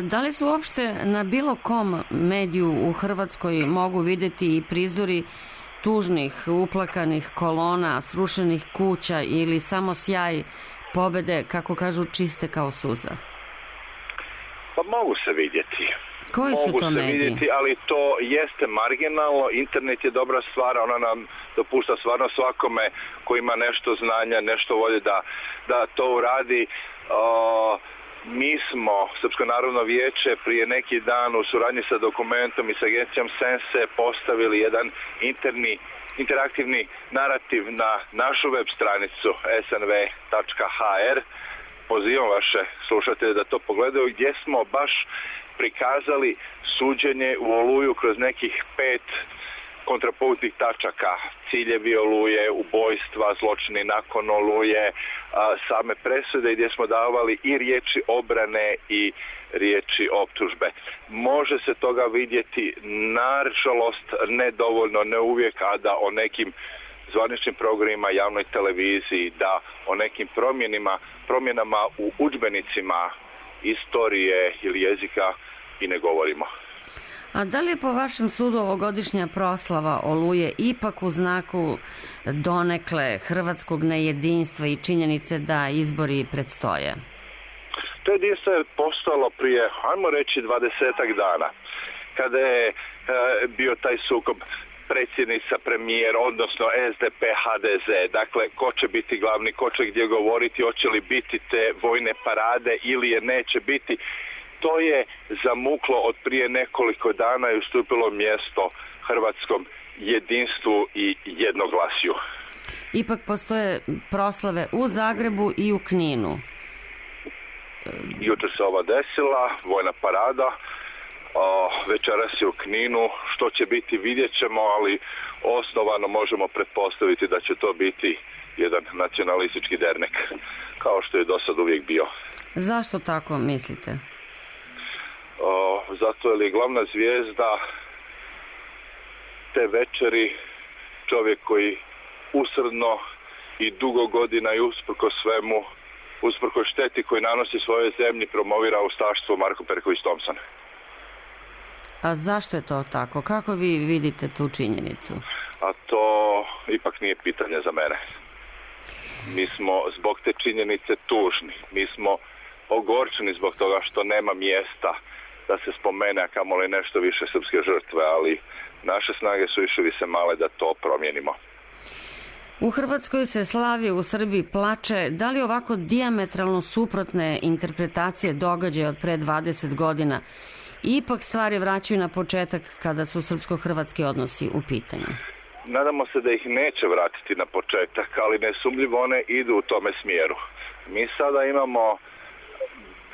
Da li se uopšte na bilo kom mediju u Hrvatskoj mogu vidjeti i prizori tužnih, uplakanih kolona, srušenih kuća ili samo sjaj pobede, kako kažu, čiste kao suza? Pa mogu se vidjeti. Koji su mogu to se mediji? Vidjeti, ali to jeste marginalno. Internet je dobra stvar, ona nam dopušta stvarno svakome ko ima nešto znanja, nešto volje da, da to uradi. O, mi smo, Srpsko narodno vijeće, prije neki dan u suradnji sa Dokumentom i sa agencijom Sense postavili jedan interni, interaktivni narativ na našu web stranicu es en ve tačka ha er. Pozivam vaše slušatelje da to pogledaju, gdje smo baš prikazali suđenje u Oluju kroz nekih pet kontrapunktnih tačaka. Ciljevi Oluje, ubojstva, zločini nakon Oluje, same presude, gdje smo davali i riječi obrane i riječi optužbe. Može se toga vidjeti, nažalost, nedovoljno, ne uvijek, a da o nekim zvaničnim programima, javnoj televiziji, da o nekim promjenima, promjenama u udžbenicima istorije ili jezika i ne govorimo. A da li je po vašem sudu ovogodišnja proslava Oluje ipak u znaku donekle hrvatskog nejedinstva i činjenice da izbori predstoje? To jedinstvo je postalo prije, ajmo reći, dvadesetak dana, kada je e, bio taj sukob predsjednica, premijer, odnosno es de pe, ha de ze. Dakle, ko će biti glavni, ko će gdje govoriti, hoće li biti te vojne parade ili je neće biti. To je zamuklo od prije nekoliko dana i ustupilo mjesto hrvatskom jedinstvu i jednoglasju. Ipak postoje proslave u Zagrebu i u Kninu. Jučer se ova desila, vojna parada. O, večeras je u Kninu, što će biti vidjet ćemo, ali osnovano možemo pretpostaviti da će to biti jedan nacionalistički dernek, kao što je do sad uvijek bio. Zašto tako mislite? O, zato je li glavna zvijezda te večeri čovjek koji usrdno i dugo godina i usprko svemu, usprko šteti koji nanosi svojoj zemlji, promovira ustaštvo, Marko Perković Thompson. A zašto je to tako? Kako vi vidite tu činjenicu? A to ipak nije pitanje za mene. Mi smo zbog te činjenice tužni. Mi smo ogorčeni zbog toga što nema mjesta da se spomene, a kamoli nešto više srpske žrtve, ali naše snage su više više male da to promijenimo. U Hrvatskoj se slavi, u Srbiji plače. Da li ovako dijametralno suprotne interpretacije događaja od pre dvadeset godina ipak stvari vraćaju na početak kada su srpsko-hrvatski odnosi u pitanju? Nadamo se da ih neće vratiti na početak, ali nesumljivo one idu u tome smjeru. Mi sada imamo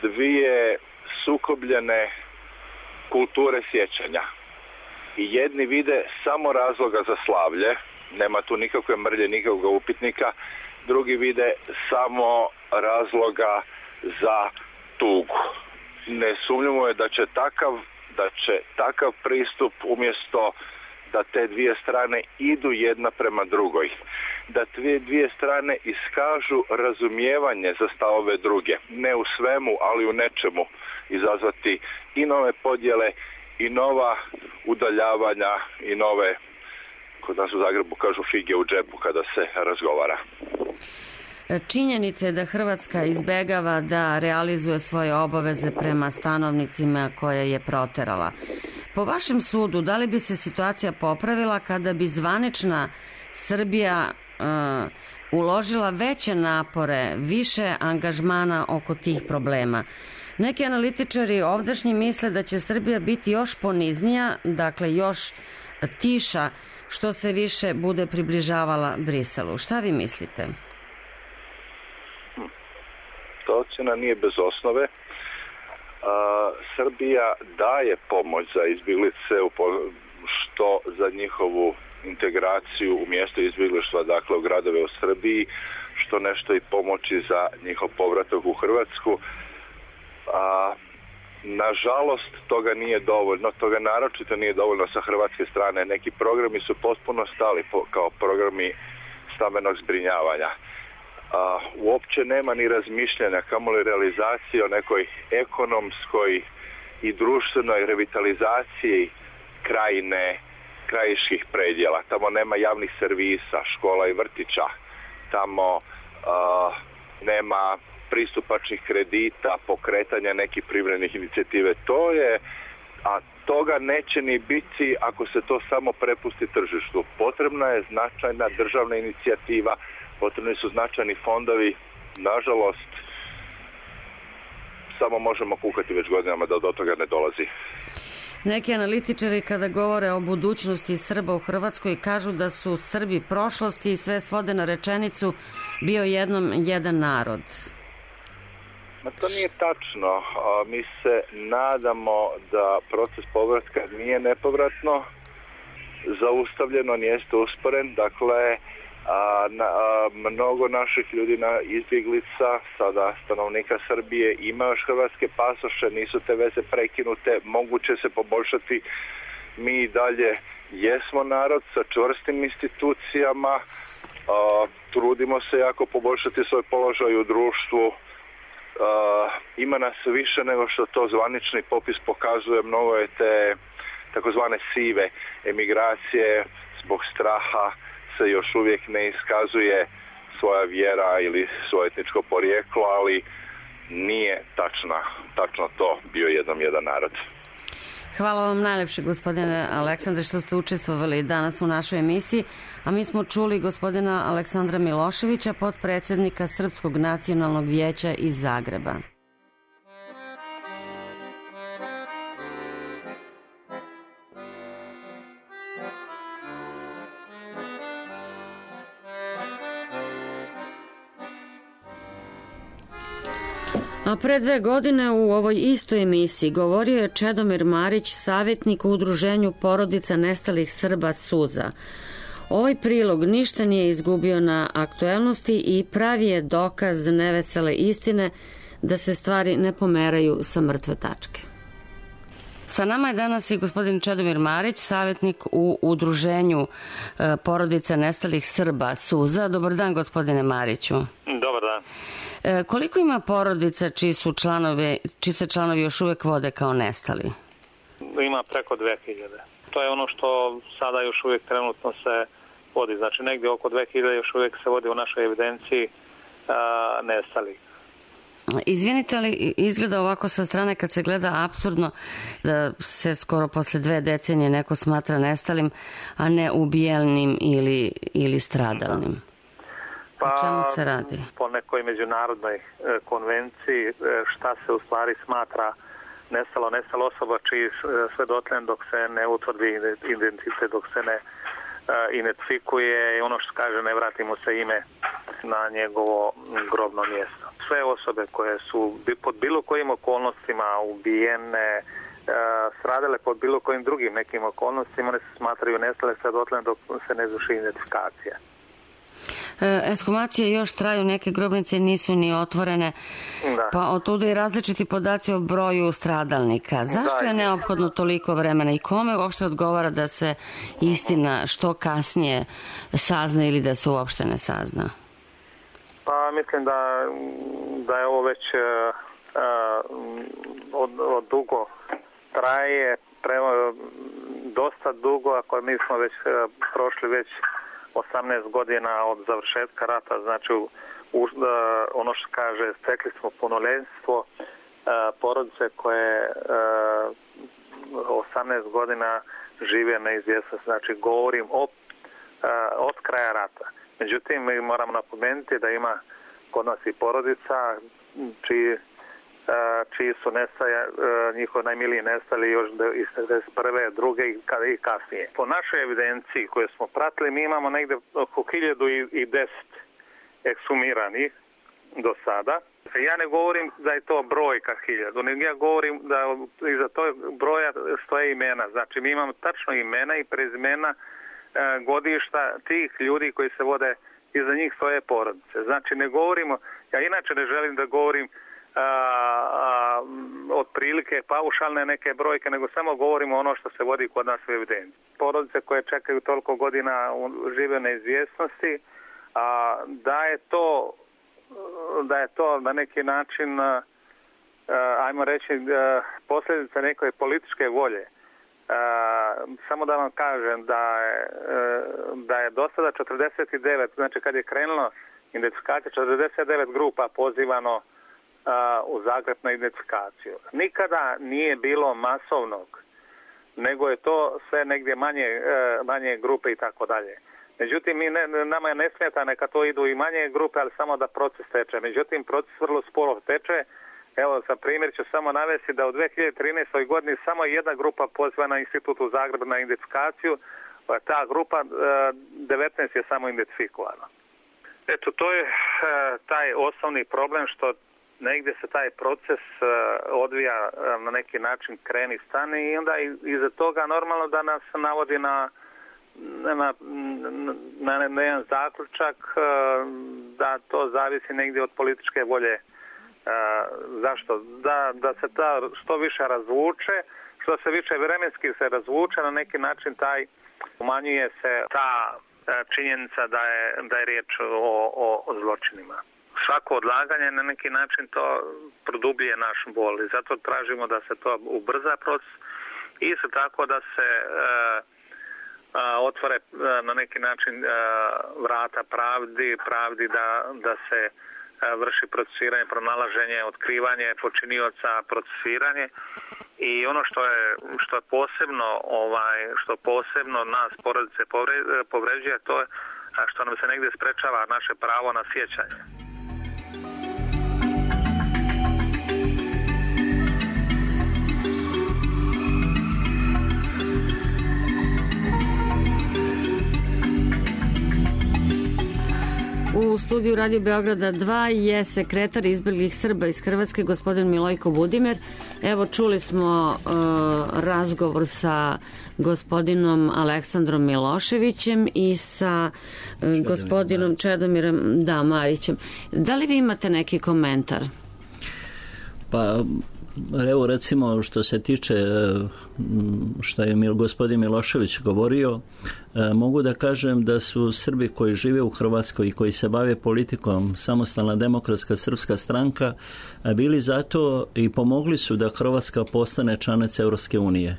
dvije sukobljene kulture sjećanja. I jedni vide samo razloga za slavlje, nema tu nikakve mrlje, nikakvog upitnika. Drugi vide samo razloga za tugu. Nesumnjivo je da će takav, da će takav pristup, umjesto da te dvije strane idu jedna prema drugoj, da te dvije strane iskažu razumijevanje za stavove druge, ne u svemu, ali u nečemu, izazvati i nove podjele i nova udaljavanja i nove, kod nas u Zagrebu kažu, fige u džepu kada se razgovara. Činjenica je da Hrvatska izbegava da realizuje svoje obaveze prema stanovnicima koje je proterala. Po vašem sudu, da li bi se situacija popravila kada bi zvanična Srbija uh, uložila veće napore, više angažmana oko tih problema? Neki analitičari ovdašnji misle da će Srbija biti još poniznija, dakle još tiša, što se više bude približavala Briselu. Šta vi mislite? Ta ocjena nije bez osnove. A, Srbija daje pomoć za izbjeglice, što za njihovu integraciju u mjesto izbjeglištva, dakle u gradove u Srbiji, što nešto i pomoći za njihov povratak u Hrvatsku. A, Nažalost, toga nije dovoljno, toga naročito nije dovoljno sa hrvatske strane. Neki programi su potpuno stali kao programi stambenog zbrinjavanja. A, uopće nema ni razmišljanja, kamoli realizacije o nekoj ekonomskoj i društvenoj revitalizaciji krajine, krajiških predjela. Tamo nema javnih servisa, škola i vrtića. Tamo a, nema pristupačnih kredita, pokretanja nekih privrednih inicijative. To je, a toga neće ni biti ako se to samo prepusti tržištu. Potrebna je značajna državna inicijativa, potrebni su značajni fondovi. Nažalost, samo možemo kukati već godinama da do toga ne dolazi. Neki analitičari kada govore o budućnosti Srba u Hrvatskoj kažu da su Srbi prošlosti i sve svode na rečenicu bio jednom jedan narod. Ma to nije tačno. Mi se nadamo da proces povratka nije nepovratno zaustavljen, on jeste usporen. Dakle, a, na, a, mnogo naših ljudi na izbjeglica, sada stanovnika Srbije, ima još hrvatske pasoše, nisu te veze prekinute, moguće se poboljšati. Mi i dalje jesmo narod sa čvrstim institucijama, a, trudimo se jako poboljšati svoj položaj u društvu. Uh, ima nas više nego što to zvanični popis pokazuje. Mnogo je te takozvane sive emigracije, zbog straha se još uvijek ne iskazuje svoja vjera ili svoje etničko porijeklo, ali nije tačna, tačno to bio jednom jedan narod. Hvala vam najlepše, gospodine Aleksandre, što ste učestvovali danas u našoj emisiji, a mi smo čuli gospodina Aleksandra Miloševića, potpredsjednika Srpskog nacionalnog vijeća iz Zagreba. A pre dve godine u ovoj istoj emisiji govorio je Čedomir Marić, savjetnik u udruženju porodica nestalih Srba Suza. Ovaj prilog ništa nije izgubio na aktuelnosti i pravi je dokaz nevesele istine da se stvari ne pomeraju sa mrtve tačke. Sa nama je danas i gospodin Čedomir Marić, savjetnik u udruženju porodica nestalih Srba Suza. Dobar dan, gospodine Mariću. Dobar dan. Koliko ima porodica čiji su članovi, čiji se članovi još uvijek vode kao nestali? Ima preko dve hiljade. To je ono što sada još uvijek trenutno se vodi. Znači negdje oko dve hiljade još uvijek se vodi u našoj evidenciji a, nestalih. Izvinite, ali izgleda ovako sa strane kad se gleda apsurdno da se skoro posle dve decenije neko smatra nestalim, a ne ubijelnim ili, ili stradalnim. Pa, o čemu se radi? Po nekoj međunarodnoj e, konvenciji e, šta se u stvari smatra nestalo, nestalo osoba čiji sve dotljen dok se ne utvrdi identitet, dok se ne e, identifikuje i ono što kaže ne vrati mu se ime na njegovo grobno mjesto. Sve osobe koje su pod bilo kojim okolnostima ubijene, e, stradale pod bilo kojim drugim nekim okolnostima, one se smatraju nestale sve dotljen dok se ne izvrši identifikacija. Ekshumacije još traju, neke grobnice nisu ni otvorene, da. Pa otuda i različiti podaci o broju stradalnika. Zašto da, je neophodno toliko vremena i kome uopšte odgovara da se istina što kasnije sazna ili da se uopšte ne sazna? Pa mislim da, da je ovo već uh, od, od dugo traje, prema, dosta dugo, ako mi smo već uh, prošli već osamnaest godina od završetka rata, znači u, u, ono što kaže, stekli smo punoljetstvo, porodice koje osamnaest godina žive neizvjesno, znači govorim o, od kraja rata. Međutim, mi moramo napomenuti da ima kod nas i porodica čiji, čiji su nestaja, njihovi najmiliji nestali još iz devedeset prve, druge i kasnije. Po našoj evidenciji koju smo pratili, mi imamo negdje oko hiljadu i deset ekshumiranih do sada. Ja ne govorim da je to brojka hiljadu, nego ja govorim da iza tog broja stoje imena. Znači mi imamo tačno imena i prezimena godišta tih ljudi koji se vode, iza njih stoje porodice. Znači ne govorimo, ja inače ne želim da govorim a, a, otprilike paušalne neke brojke, nego samo govorimo ono što se vodi kod nas u evidenciji. Porodice koje čekaju toliko godina žive neizvjesnosti, a da je to da je to na neki način, ajmo reći, posljedica neke političke volje. Samo da vam kažem da je, da je do sada četrdeset devet, znači kad je krenulo identifikacija, četrdeset devet grupa pozivano u Zagreb na identifikaciju. Nikada nije bilo masovnog, nego je to sve negdje manje, manje grupe i tako dalje. Međutim, mi ne, nama je ne smeta neka to idu i manje grupe, ali samo da proces teče. Međutim, proces vrlo sporo teče. Evo, za primjer ću samo navesti da u dvije hiljade trinaestoj godini samo jedna grupa poziva na Institut u Zagrebu na identifikaciju. Ta grupa, devetnaest je samo identifikovana. Eto, to je taj osnovni problem što negdje se taj proces odvija na neki način kreni stani i onda iza toga normalno da nas navodi na Na, na, na jedan zaključak da to zavisi negdje od političke volje. Zašto? Da, da se ta što više razvuče, što se više vremenski se razvuče, na neki način taj umanjuje se ta činjenica da je, da je riječ o, o, o zločinima. Svako odlaganje na neki način to produbljuje naš bol i zato tražimo da se to ubrza proces i isto tako da se otvore na neki način vrata pravdi, pravdi da, da se vrši procesuiranje, pronalaženje, otkrivanje počinioca, procesuiranje i ono što je, što je posebno ovaj, što posebno nas porodice povređuje, to je što nam se negdje sprečava naše pravo na sjećanje. U studiju Radio Beograda dva je sekretar izbjeglih Srba iz Hrvatske, gospodin Milojko Budimer. Evo, čuli smo uh, razgovor sa gospodinom Aleksandrom Miloševićem i sa uh, gospodinom Čedomirom da, Marićem. Da li vi imate neki komentar? Pa, evo recimo što se tiče što je gospodin Milošević govorio, mogu da kažem da su Srbi koji žive u Hrvatskoj i koji se bave politikom, Samostalna demokratska srpska stranka, bili zato i pomogli su da Hrvatska postane članica Europske unije.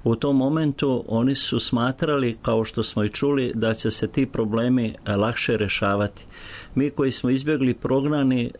U tom momentu oni su smatrali, kao što smo i čuli, da će se ti problemi lakše rješavati. Mi koji smo izbjegli prognani, e,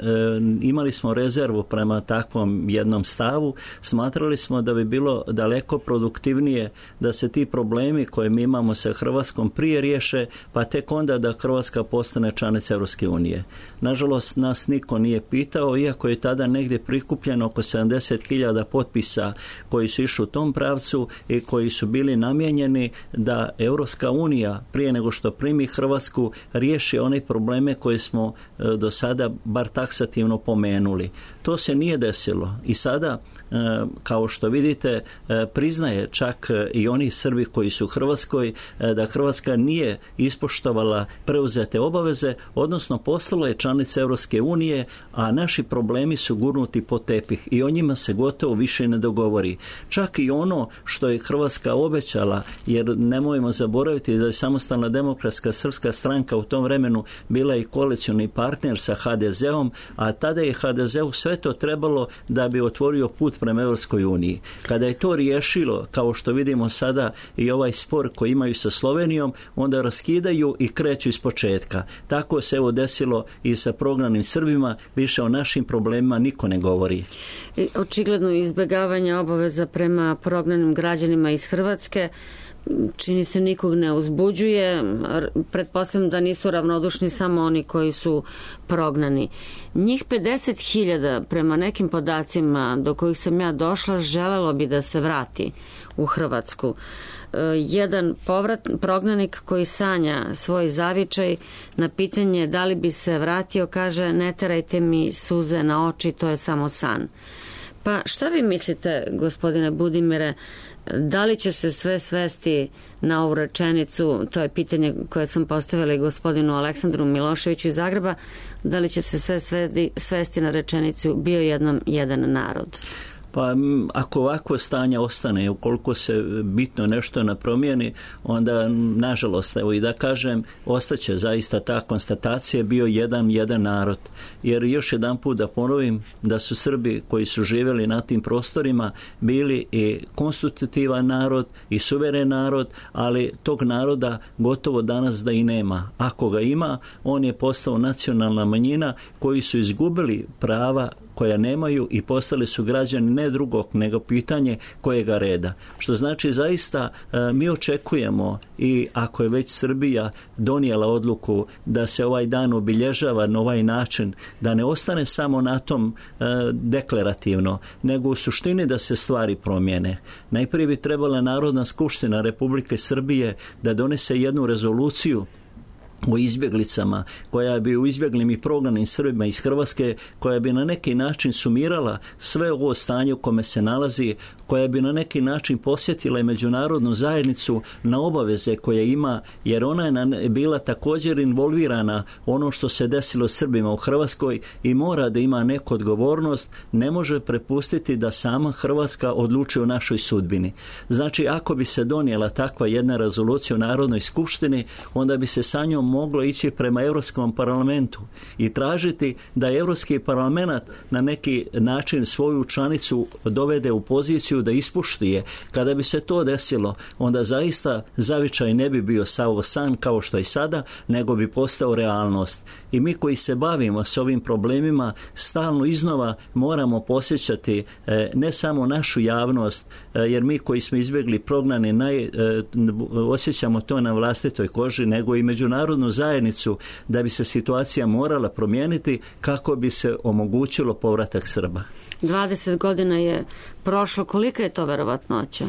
imali smo rezervu prema takvom jednom stavu, smatrali smo da bi bilo daleko produktivnije da se ti problemi koje mi imamo sa Hrvatskom prije riješe, pa tek onda da Hrvatska postane članica Europske unije. Nažalost, nas niko nije pitao, iako je tada negdje prikupljeno oko sedamdeset hiljada potpisa koji su išli u tom pravcu i koji su bili namijenjeni da Europska unija prije nego što primi Hrvatsku riješi one probleme koje smo do sada bar taksativno pomenuli. To se nije desilo i sada, kao što vidite, priznaje čak i oni Srbi koji su u Hrvatskoj da Hrvatska nije ispoštovala preuzete obaveze, odnosno postala je članica Europske unije, a naši problemi su gurnuti pod tepih i o njima se gotovo više ne dogovori. Čak i ono što je Hrvatska obećala, jer nemojmo zaboraviti da je Samostalna demokratska srpska stranka u tom vremenu bila i koalicioni partner sa ha de zet-om, a tada je ha de zet-u sve to trebalo da bi otvorio put prema Europskoj uniji. Kada je to riješilo, kao što vidimo sada i ovaj spor koji imaju sa Slovenijom, onda raskidaju i kreću iz početka. Tako se evo desilo i sa prognanim Srbima, više o našim problemima niko ne govori. Očigledno izbjegavanje obaveza prema prognanim građanima iz Hrvatske čini se nikog ne uzbuđuje. Pretpostavljam da nisu ravnodušni samo oni koji su prognani. Njih pedeset hiljada prema nekim podacima do kojih sam ja došla želelo bi da se vrati u Hrvatsku. Jedan povrat, prognanik koji sanja svoj zavičaj na pitanje da li bi se vratio kaže: ne terajte mi suze na oči, to je samo san. Pa šta vi mislite, gospodine Budimire, da li će se sve svesti na ovu rečenicu, to je pitanje koje sam postavila i gospodinu Aleksandru Miloševiću iz Zagreba, da li će se sve svesti, svesti na rečenicu bio jednom jedan narod? Pa ako ovako stanje ostane, ukoliko se bitno nešto ne promijeni, onda nažalost, evo i da kažem, ostaće zaista ta konstatacija bio jedan jedan narod. Jer još jedan put da ponovim da su Srbi koji su živjeli na tim prostorima bili i konstitutivan narod i suveren narod, ali tog naroda gotovo danas da i nema. Ako ga ima, on je postao nacionalna manjina koji su izgubili prava koja nemaju i postali su građani ne drugog nego pitanje kojega reda. Što znači zaista mi očekujemo i ako je već Srbija donijela odluku da se ovaj dan obilježava na ovaj način, da ne ostane samo na tom deklarativno, nego u suštini da se stvari promijene. Najprije bi trebala Narodna skupština Republike Srbije da donese jednu rezoluciju o izbjeglicama, koja bi u izbjeglim i prognanim Srbima iz Hrvatske, koja bi na neki način sumirala sve ovo stanje u kome se nalazi, koja bi na neki način posjetila i međunarodnu zajednicu na obaveze koje ima, jer ona je bila također involvirana ono što se desilo Srbima u Hrvatskoj i mora da ima neku odgovornost, ne može prepustiti da sama Hrvatska odlučuje o našoj sudbini. Znači, ako bi se donijela takva jedna rezolucija u Narodnoj skupštini, onda bi se sa njom moglo ići prema Europskom parlamentu i tražiti da Europski parlament na neki način svoju članicu dovede u poziciju da ispušti je. Kada bi se to desilo, onda zaista zavičaj ne bi bio samo san kao što je sada, nego bi postao realnost. I mi koji se bavimo s ovim problemima stalno iznova moramo posjećati e, ne samo našu javnost, e, jer mi koji smo izbjegli prognani naj, e, osjećamo to na vlastitoj koži, nego i međunarodnu zajednicu da bi se situacija morala promijeniti kako bi se omogućilo povratak Srba. dvadeset godina je prošlo, kolika je to verovatnoća?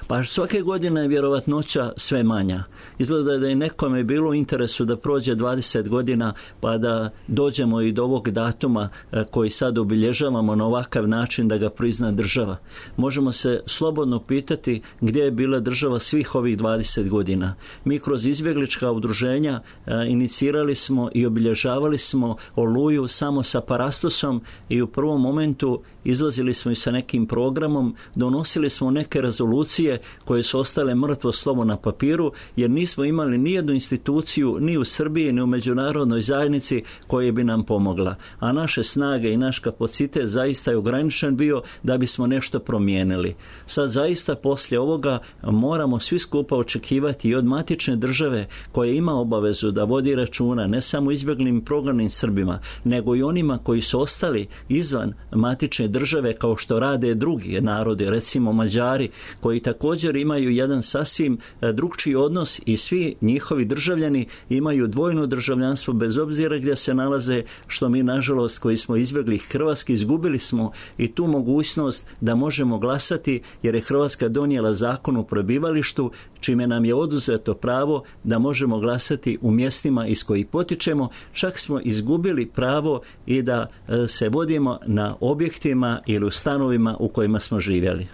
Pa svake godine je vjerovatnoća sve manja. Izgleda da je nekome bilo u interesu da prođe dvadeset godina pa da dođemo i do ovog datuma koji sad obilježavamo na ovakav način da ga prizna država. Možemo se slobodno pitati gdje je bila država svih ovih dvadeset godina. Mi kroz izbjeglička udruženja inicirali smo i obilježavali smo Oluju samo sa Parastosom i u prvom momentu izlazili smo i sa nekim programom, donosili smo neke rezolucije koje su ostale mrtvo slovo na papiru, jer nismo imali ni jednu instituciju ni u Srbiji ni u međunarodnoj zajednici koja bi nam pomogla. A naše snage i naš kapacitet zaista je ograničen bio da bismo nešto promijenili. Sad zaista poslije ovoga moramo svi skupa očekivati i od matične države koja ima obavezu da vodi računa ne samo izbjeglim i prognanim Srbima, nego i onima koji su ostali izvan matične države kao što rade drugi narodi, recimo Mađari, koji također imaju jedan sasvim drugčiji odnos i svi njihovi državljani imaju dvojno državljanstvo bez obzira gdje se nalaze, što mi nažalost koji smo izbjegli Hrvatski izgubili smo i tu mogućnost da možemo glasati jer je Hrvatska donijela zakon o prebivalištu čime nam je oduzeto pravo da možemo glasati u mjestima iz kojih potičemo, čak smo izgubili pravo i da se vodimo na objektima ili u stanovima u kojima smo živjeli.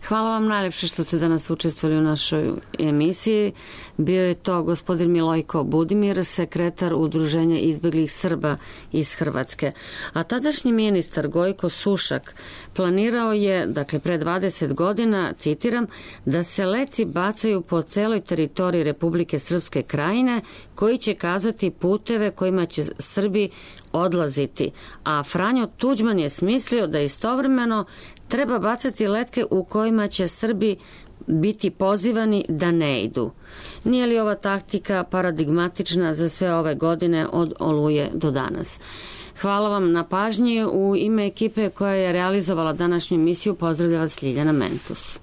Hvala vam najljepše što ste danas učestvovali u našoj emisiji. Bio je to gospodin Milojko Budimir, sekretar Udruženja izbjeglih Srba iz Hrvatske. A tadašnji ministar Gojko Sušak planirao je, dakle pre dvadeset godina, citiram, da se leci bacaju po celoj teritoriji Republike Srpske Krajine, koji će kazati puteve kojima će Srbi odlaziti. A Franjo Tuđman je smislio da istovremeno treba bacati letke u kojima će Srbi biti pozivani da ne idu. Nije li ova taktika paradigmatična za sve ove godine od Oluje do danas? Hvala vam na pažnji. U ime ekipe koja je realizovala današnju emisiju pozdravlja vas Ljiljana Mentus.